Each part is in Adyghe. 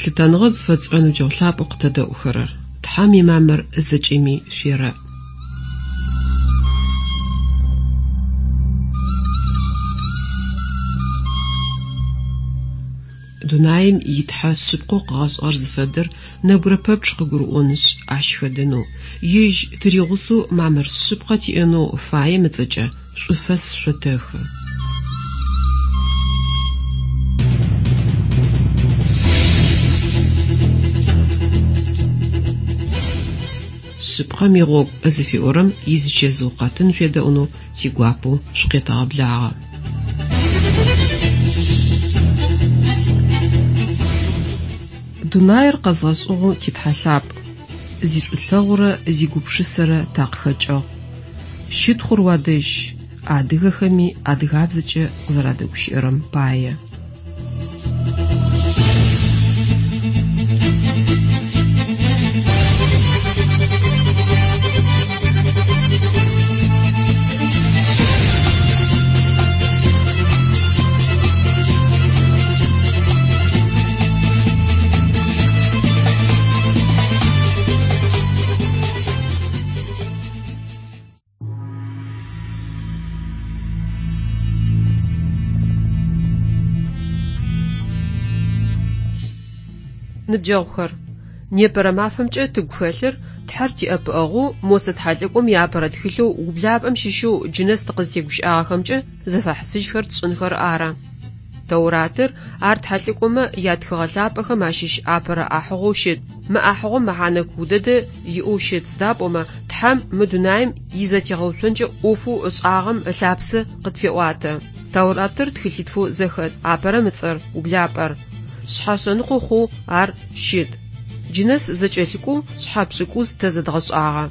Лъытэныгъэ зыфэтшӏырэ ныбджэгъу лъапӏэу къытэдэӏухэрэр! Тхьэм имамыр зэкӏэми шъуерэӏ. Дунаим и Тхьэ шъыпкъэу къыгъэшӏыгъэр зыфэдэр нэбгырэ пэпчъ къыгурыӏонышъ, ащ хэдэнэу, ежь тыригъусэу мамыр шъыпкъэ тиӏэнэу фаем ыцӏэкӏэ шӏуфэс шъотэхы. Шъыпкъэм игъогу зыфиӏорэм изычэзыу къэтын шъуедэӏунэу тигуапэу шъукъетэгъэблагъэ. Дунаир къэзгъэшӏыгъэу ти Тхьэ лъапӏ, зишӏулъэгъурэ зигупшысэрэ такъыхэкӏыгъ. Щытхъур уадэжь, адыгэхэми адыгабзэкӏэ къызэрадэгущыӏэрэм пае. Ныбджэгъухэр, непэрэ мафэмкӏэ тыгу хэлъыр Тхьэр тиӏэпыӏэгъоу Мосэ тхьэлӏыкӏом иапэрэ тхылъэу ублапӏэм щыщэу джынэс тыкъызтегущыӏагъэхэмкӏэ зэфэхьысыжьхэр тшӏынхэр ары. Тэуратыр ар тхьэлӏыкӏомэ ятхыгъэ лъапӏэхэм ащыщ апэрэ ӏахьыгъоу щыт. Мы ӏахьыгъом мэхьанэ куу дэдэ иӏэу щыт, сыда пӏомэ Тхьэм мы дунаим изэтегъэуцонкӏэ ӏофэу ышӏагъэм ылъапсэ къытфеӏуатэ. Тэуратыр тхылъитфэу зэхэт, апэрэм ыцӏэр, ублапӏэр. Шъхьэ шъэныкъо хъоу ар щыт. Джынэс зэкӏэлъыкӏоу шъхьэ пшӏыкӏуз тэ зэдгъэшӏагъэ.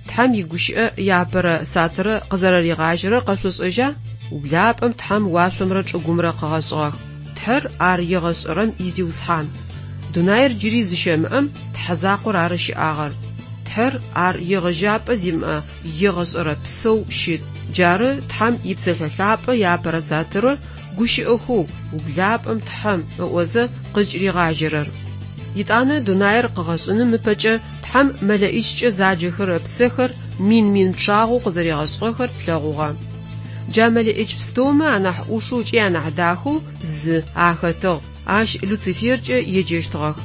Тхьэм игущыӏэ иапэрэ сатырэ къызэрэригъажьэрэр къэшъошӏэжьа? Ублапӏэм Тхьэм уашъомрэ чӏыгумрэ къыгъэшӏыгъэх. Тхьэр ар егъэшӏэрэм и Зиусхьан. Дунаир джыри зыщэмыӏэм Тхьэ закъор ары щыӏагъэр. Тхьэр ар егъэжьапӏэ зимыӏэ егъэшӏэрэ псэу щыт. Джары Тхьэм и Псэлъэ Лъапӏэ иапэрэ сатырэ гущыӏэхэу ублапӏэм Тхьэм ыӏозэ къызкӏыригъажьэрэр. Етӏанэ дунаир къыгъэшӏыным ыпэкӏэ Тхьэм мэлэӏичкӏэ заджэхэрэ псэхэр мин-мин пчъагъэу къызэригъэшӏыгъэхэр тлъэгъугъэ. Джа мэлэӏич пстэумэ анахь ӏушэу ыкӏи анахь дахэу зы ахэтыгъ, ащ Люциферкӏэ еджэщтыгъэх.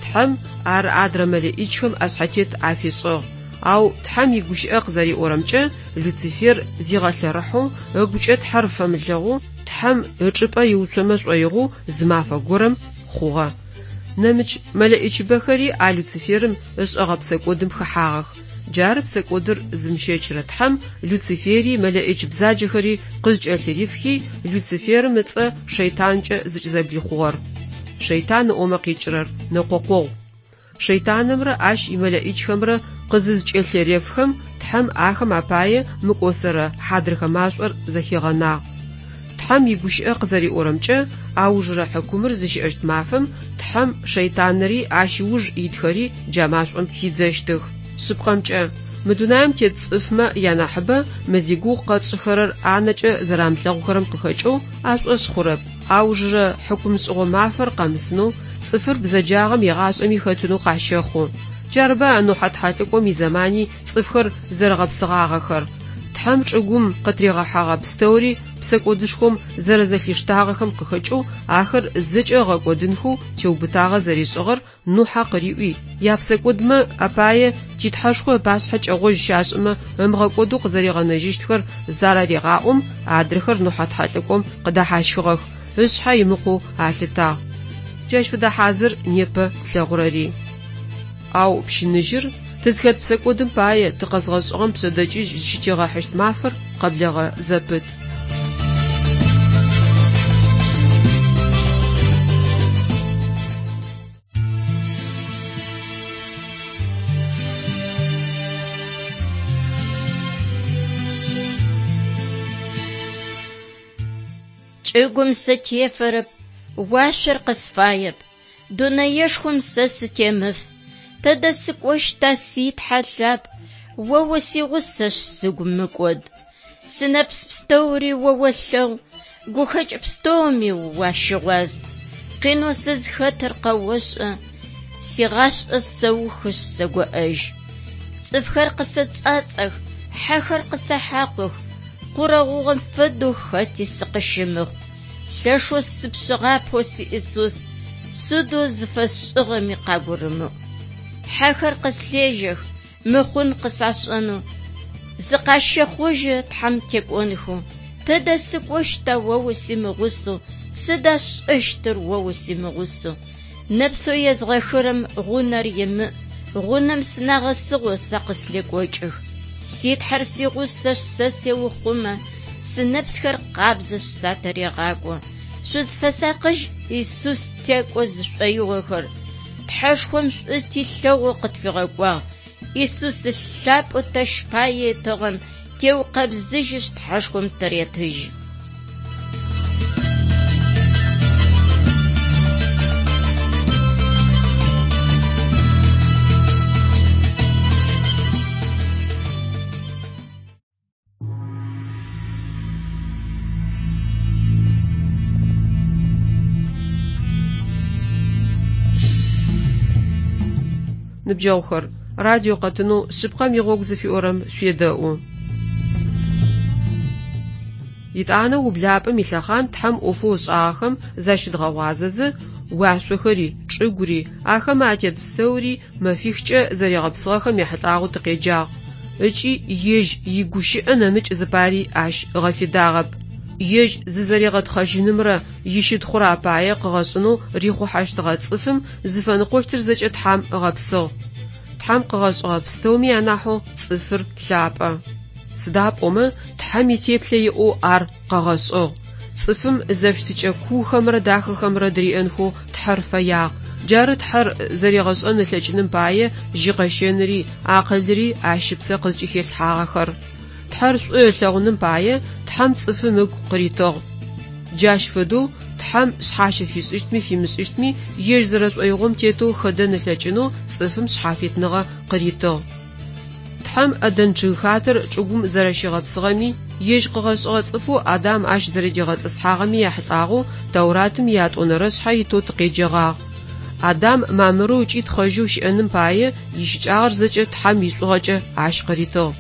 Тхьэм ар адрэ мэлэӏичхэм ӏэшъхьэтет афишӏыгъ. Ау Тхьэм игущыӏэ къызэриӏорэмкӏэ, Люцифер зигъэлъэрыхьэу, ыгукӏэ Тхьэр фэмылъэгъоу, Тхьэм ычӏыпӏэ иуцомэ шӏоигъоу зы мафэ горэм хъугъэ. Нэмыкӏ мэлэӏичыбэхэри а Люциферым ышӏэгъэ псэкӏодым хэхьагъэх. Джары псэкӏодыр зымыщэчырэ Тхьэм Люцифери мэлэӏич бзаджэхэри къызкӏэлъырифхи, Люциферым ыцӏэ Шэйтанкӏэ зыкӏызэблихъугъэр. Шэйтан ыӏомэ къикӏырэр, нэкъокъогъу. Шэйтанымрэ ащ имэлэӏичхэмрэ къызызкӏэлъырефхэм, Тхьэм ахэм апае мыкӏосэрэ хьадрыхэ машӏор зэхигъэнагъ. Тхьэм игущыӏэ къызэриӏорэмкӏэ, аужырэ хьыкумыр зыщыӏэщт мафэм Тхьэм шэйтанри ащ ыуж итхэри джа машӏом хидзэщтых. Шъыпкъэмкӏэ, мы дунаим тет цӏыфмэ янахьыбэ мы зигугъу къэтшӏыхэрэр анэкӏэ зэрамылъэгъухэрэм къыхэкӏэу ашӏошъ хъурэп. Аужырэ хьыкумшӏыгъо мафэр къэмысынэу, цӏыфыр бзэджагъэм егъашӏэми хэтынэу къащэхъу. Джарыба Нухьэ тхьэлӏыкӏом изэмани цӏыфхэр зэрэгъэпсыгъагъэхэр. Тхьэм чӏыгум къытыригъэхьэгъэ пстэури псэкӏодышхом зэрэзэлъиштагъэхэм къыхэкӏэу ахэр зэкӏэ ыгъэкӏодынхэу теубытагъэ зэришӏыгъэр Нухьэ къыриӏуи, япсэкӏодмэ апае ти Тхьэшхо ыпашъхьэ кӏэгъожь щашӏымэ ымыгъэкӏодэу къызэригъэнэжьыщтхэр зарарегъаӏом, адрэхэр Нухьэ тхьэлӏыкӏом къыдэхьащхыгъэх, ышъхьэ имыкъоу алъытагъ. Джащ фэдэ хьазыр непэ тлъэгъурэри. Ау пщыныжьыр, тызхэт псэкӏодым пае тыкъэзгъэшӏыгъэм пшъэдэкӏыжь зыщытигъэхьыщт мафэр къэблэгъэ зэпыт. Чӏыгум сытефэрэп, уашъор къысфаеп, Дунэешхом сэ сытемыф. Тэдэ сыкӏощта, си Тхьэ лъапӏ, О усигъусэшъ, сыгу мыкӏод. Сынэпс пстэури о олъэгъу, Гухэкӏ пстэуми уащыгъуаз. Къинэу сызхэтыр къэошӏэ, Сигъашӏэ сэухышъ сэгоӏэжь. Цӏыфхэр къысэцӏацӏэх, хьэхэр къысэхьакъух, Къурэ гъугъэм фэдэу хэти сыкъыщымыхъу. Лъэшэу сыпшъыгъапэу си Исус, сыдэу зыфэсшӏыгъэми къагурымыӏу. Хьэхэр къыслъежьэх, мыхъун къысашӏэнэу, зыкъащэхъужьы Тхьэм текӏонхэу. Тыдэ сыкӏощта о усимыгъусэу, сыда сшӏэщтыр о усимыгъусэу? Нэпсэу езгъэхырэм гъунэр имыӏ, гъунэм сынагъэсыгъэу сэ къыслъекӏокӏых. Си Тхьэр сигъусэшъ, сэ сеухъумэ, сынэпсхэр къабзэшъ, сатырегъакӏо. Шъузфэсакъыжь Исус текӏо зышӏоигъохэр, Тхьэшхом шӏу тилъэгъоу къытфигъэкӏуагъ. Исус ылъ лъапӏэу тэщ пае ытыгъэм теукъэбзыжьышъ Тхьэшхом тыретыжьы. Ныбджэгъухэр, радио къэтынэу Шъыпкъэм игъогу зыфиӏорэм шъуедэӏу. Етӏанэ ублапӏэм илъэхъан Тхьэм ӏофэу ышӏагъэхэм защыдгъэгъуазэзэ, уашъохэри, чӏыгури, ахэмэ атет пстэури мэфихкӏэ зэригъэпсыгъэхэм ехьылӏагъэу тыкъеджагъ ыкӏи ежь игущыӏэ нэмыкӏ зыпари ащ ыгъэфедагъэп. Ежь зызэригъэтхъэжьынымрэ ищытхъурэ апае къыгъэшӏынэу рихъухьэщтыгъэ цӏыфым зыфэныкъощтыр зэкӏэ Тхьэм ыгъэпсыгъ. Тхьэм къыгъэшӏыгъэ пстэуми анахьэу цӏыфыр лъапӏэ. Сыда пӏомэ Тхьэм итеплъэ иӏэу ар къыгъэшӏыгъ. Цӏыфым зэфыщытыкӏэ куухэмрэ дахэхэмрэ дыриӏэнхэу Тхьэр фэягъ. Джары Тхьэр зэригъэшӏэн ылъэкӏыным пае жьыкъэщэныри, акъылри ащ ыпсэ къызкӏыхилъхьагъэхэр. Тхьэр шӏу ылъэгъуным пае Тхьэм цӏыфым ыгу къыритыгъ. Джащ фэдэу Тхьэм шъхьащэ фишӏыщтми фимышӏыщтми ежь зэрэшӏоигъом тетэу хэдэн ылъэкӏынэу цӏыфым шъхьафитныгъэ къыритыгъ. Тхьэм ӏэдэн чъыгхатэр чӏыгум зэрэщигъэпсыгъэми, ежь къыгъэшӏыгъэ цӏыфэу Адам ащ зэрэдигъэтӏысхьагъэми яхьылӏагъэу Тауратым иятӏонэрэ шъхьэ итэу тыкъеджэгъагъ. Адам мамырэу ыкӏи тхъэжьэу щыӏэным пае ищыкӏагъэр зэкӏэ Тхьэм ишӏугъэкӏэ ащ къыритыгъ.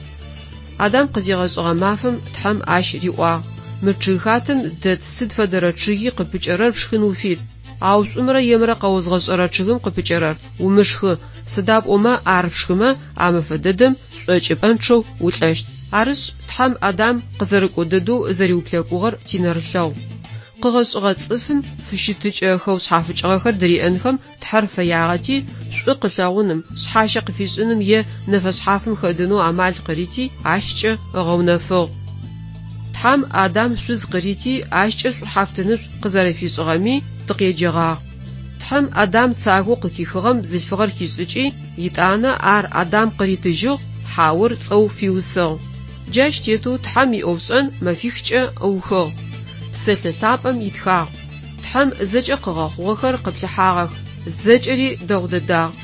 Адам къызигъэшӏыгъэ мафэм Тхьэм ащ риӏуагъ, Мы чъыгхатэм дэт сыд фэдэрэ чъыги къыпыкӏэрэр пшхын уфит, ау шӏумрэ емрэ къэозгъэшӏэрэ чъыгым къыпыкӏэрэр умышхы, сыда пӏомэ ар пшхымэ, а мэфэ дэдэм шӏокӏыпӏэнчъэу улӏэщт. Арышъ, Тхьэм Адам къызэрыкӏо дэдэу зэриуплъэкӏугъэр тинэрылъэгъу. Къыгъэшӏыгъэ цӏыфым фыщытыкӏэ хэушъхьафыкӏыгъэхэр дыриӏэнхэм Тхьэр фэягъэти, шӏу къылъэгъуным, шъхьащэ къыфишӏыным е нэфэшъхьафым хэдэнэу амал къырити, ащкӏэ ыгъэунэфыгъ. Тхьэм Адам шъуз къырити, ащкӏэ шӏухьафтынышӏу къызэрэфишӏыгъэми тыкъеджэгъагъ. Тхьэм Адам цагоу къыхихыгъэм бзылъфыгъэр хишӏыкӏи, етӏанэ ар Адам къыритыжьыгъ, Хьаур цӏэу фиусыгъ. Джащ тетэу Тхьэм иӏофшӏэн мэфихкӏэ ыухыгъ. Псэлъэ лъапӏэм итхагъ. Тхьэм зэкӏэ къыгъэхъугъэхэр къыплъыхьагъэх, зэкӏэри дэгъу дэдагъ.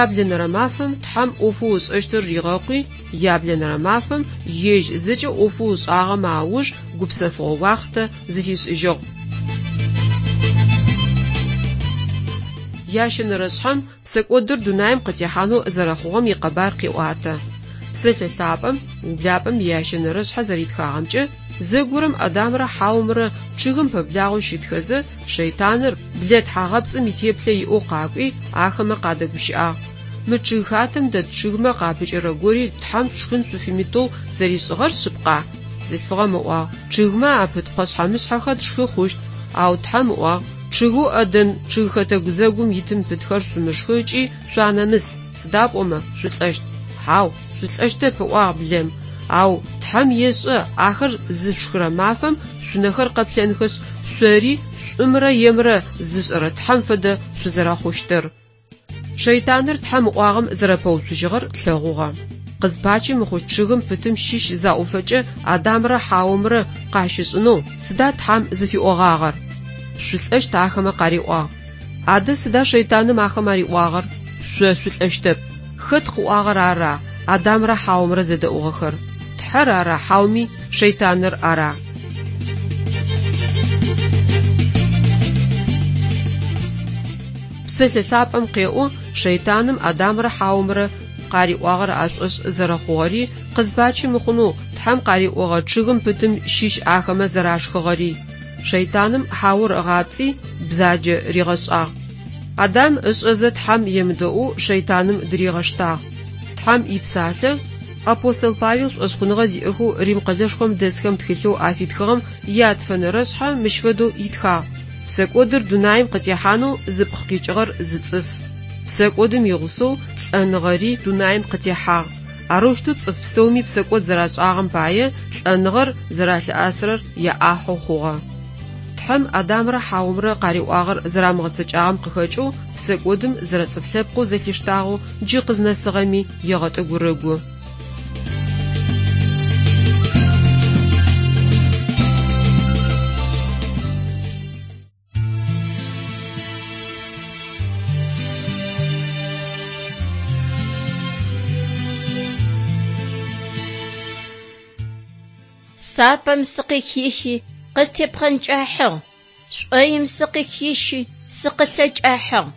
Яблэнэрэ мафэм Тхьэм ӏофэу ышӏэщтыр ригъэкъуи, яблэнэрэ мафэм ежь зэкӏэ ӏофэу ышӏагъэмэ ауж гупсэфыгъо уахътэ зыфишӏыжьыгъ. Ящэнэрэ шъхьэм псэкӏодыр дунаим къытехьанэу зэрэхъугъэм икъэбар къеӏуатэ. Псэлъэ лъапӏэм, ублапӏэм иящэнэрэ шъхьэ зэритхагъэмкӏэ, зэгорэм Адамрэ Хьаомрэ чъыгым пэблагъэу щытхэзэ, шэйтаныр, блэ тхьагъэпцӏым итеплъэ иӏэу къакӏуи, ахэмэ къадэгущыӏагъ. Мы чъыгхатэм дэт чъыгмэ къапыкӏэрэ гори Тхьэм шъушхын шъуфимытэу зэришӏыгъэр шъыпкъа? Бзылъфыгъэм ыӏуагъ, Чъыгмэ апыт пхъэшъхьэ-мышъхьэхэр тшхы хъущт. Ау Тхьэм ыӏуагъ, Чъыгэу ӏэдэн чъыгхэтэ гузэгум итым пытхэр шъумышхы ыкӏи шъуанэмыс, сыда пӏомэ шъулӏэщт. Хьау, шъулӏэщтэп, ыӏуагъ блэм. Ау Тхьэм ешӏэ ахэр зышъушхырэ мафэм шъунэхэр къэплъэнхэшъ, шъори шӏумрэ емрэ зышӏэрэ Тхьэм фэдэ шъузэрэхъущтыр. Шэйтаныр Тхьэм ыӏуагъэм зэрэпэуцужьыгъэр тлъэгъугъэ. Къызпачи мыхъущт чъыгым пытым щыщ заӏофэкӏэ Адамрэ Хьаомрэ къащышӏынэу сыда Тхьэм зыфиӏогъагъэр? Шъулӏэщт ахэмэ къариӏуагъ. Адэ сыда шэйтаным ахэм ариӏуагъэр? Шъо шъулӏэщтэп. Хэт къыӏуагъэр ара Адамрэ Хьаомрэ зэдэӏугъэхэр? Тхьэр ара хьауми шэйтаныр ара? Псэлъэ лъапӏэм къеӏо шэйтаным Адамрэ Хьаомрэ къариӏуагъэр ашӏошъ зэрэхъугъэри, къызпачи мыхъунэу Тхьэм къариӏогъэ чъыгым пытым щыщ ахэмэ зэрашхыгъэри. Шэйтаным Хьаор ыгъапцӏи, бзаджэ ригъэшӏагъ. Адам ышӏэзэ Тхьэм емыдэӏоу шэйтаным дыригъэштагъ. Тхьэм ипсалъэ апостол Павел шӏошъхъуныгъэ зиӏэхэу Рим къэлэшхом дэсхэм тхылъэу афитхыгъэм ятфэнэрэшъхьэ мыщ фэдэу итхагъ: Псэкӏодыр дунаим къытехьанэу зыпкъ къикӏыгъэр зы цӏыф. Псэкӏодым игъусэу лӏэныгъэри дунаим къытехьагъ. Арэущтэу цӏыф пстэуми псэкӏод зэрашӏагъэм пае лӏэныгъэр зэралъыӏасырэр яӏахьэу хъугъэ. Тхьэм Адамрэ Хьаомрэ къариӏуагъэр зэрамыгъэцэкӏагъэм къыхэкӏэу псэкӏодым зэрэцӏыф лъэпкъэу зэлъиштагъэу джы къызнэсыгъэми егъэтӏыгурыгу. Сапэм сыкъыхихи, къыстепхъэнкӏахьыгъ. Шӏоим сыкъыхищи, сыкъылъэкӏахьыгъ.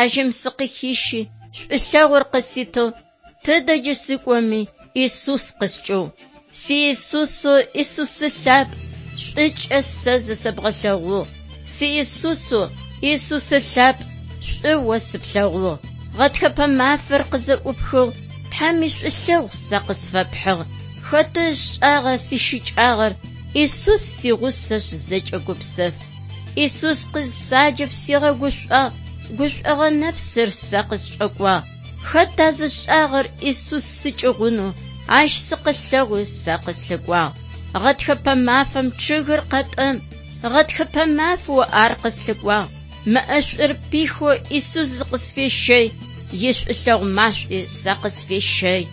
Яжьэм сыкъыхищи, шӏулъэгъур къыситыгъ. Тыдэ джы сыкӏоми, Исус къыскӏыгъу. Си Исусэу Исусы лъапӏ, шӏукӏэ сэ зысэбгъэлъэгъугъ. Си Исусэу Исусы лъапӏ, шӏу о сыплъэгъугъ. Гъэтхэпэ мафэр къызэӏупхыгъ, Тхьэм ишӏулъэгъу сэ къысфэпхьыгъ. Хэты ышӏагъа сищыкӏагъэр, Исус сигъусэшъ зэкӏэ гупсэф. Исус къызсаджэм сигъэгушӏуагъ, гушӏогъо нэпсыр сэ къысшӏокӏуагъ. Хэта зышӏагъэр Исус сыкӏыгъунэу, ащ сыкъылъэгъуи сэ къыслъыкӏуагъ. Гъэтхэпэ мафэм чъыгыр къэтӏэм, гъэтхэпэ мафэу ар къыслъыкӏуагъ. Мэ ӏэшӏур пихэу Исус зыкъысфещэй, ишӏулъэгъу машӏуи сэ къысфещэй.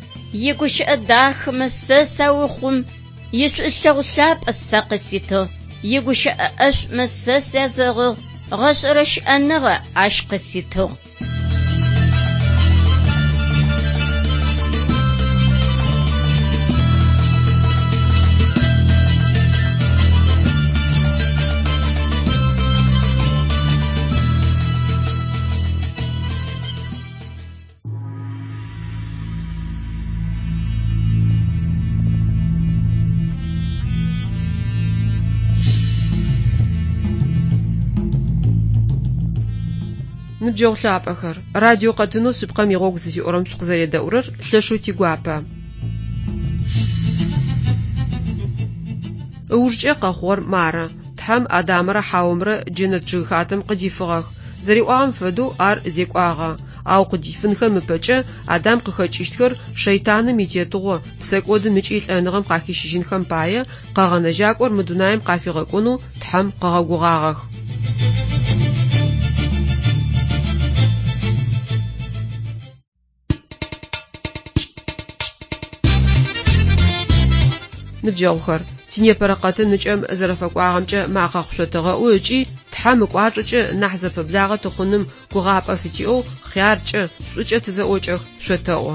Игущыӏэ дахэмэ сэ саухъум, ишӏулъэгъу лъапӏэ сэ къыситыгъ. Игущыӏэ ӏэшӏумэ сэ сязэгъыгъ, гъэшӏэрэ щыӏэныгъэ ащ къыситыгъ. Ныбджэгъу лъапӏэхэр, радио къэтынэу шъыпкъэм игъогу зыфиӏорэм шъукъызэредэӏурэр лъэшэу тигуапэ. Ыужкӏэ къэхъугъэр мары. Тхьэм Адамрэ Хьаомрэ джэнэт чъыгхатэм къыдифыгъэх. Зэриӏуагъэм фэдэу ар зекӏуагъэ. Ау къыдифынхэм ыпэкӏэ Адам къыхэкӏыщтхэр шэйтаным итетыгъо, псэкӏодым ыкӏи лӏэныгъэм къахищыжьынхэм пае Къэгъэнэжьакӏор мы дунаим къафигъэкӏонэу Тхьэм къыгъэгугъагъэх. Ныбджэгъухэр, тинепэрэ къэтын ыкӏэм зэрэфэкӏуагъэмкӏэ макъэ къышъотэгъэӏу ыкӏи Тхьэм ыкӏуачӏэкӏэ нахь зэпэблагъэ тыхъуным гугъапӏэ фытиӏэу хъяркӏэ, шӏукӏэ тызэӏокӏэх шъотэӏо.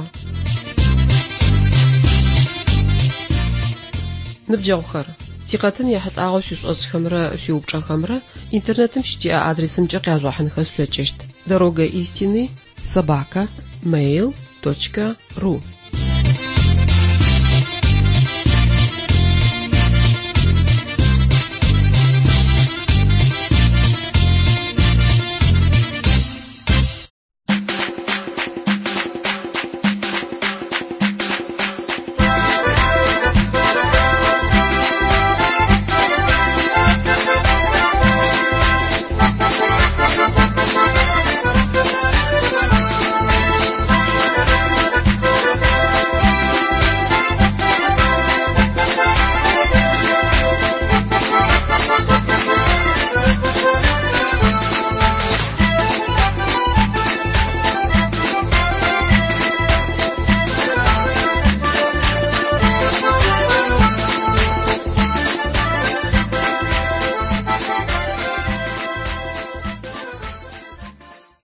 Ныбджэгъухэр, тикъэтын ехьылӏагъэу шъуишӏошӏхэмрэ шъуиупчӏэхэмрэ интернетым щытиӏэ адресымкӏэ къяжъугъэхьынхэ шъулъэкӏыщт: Дорога истины собака mail точка ру.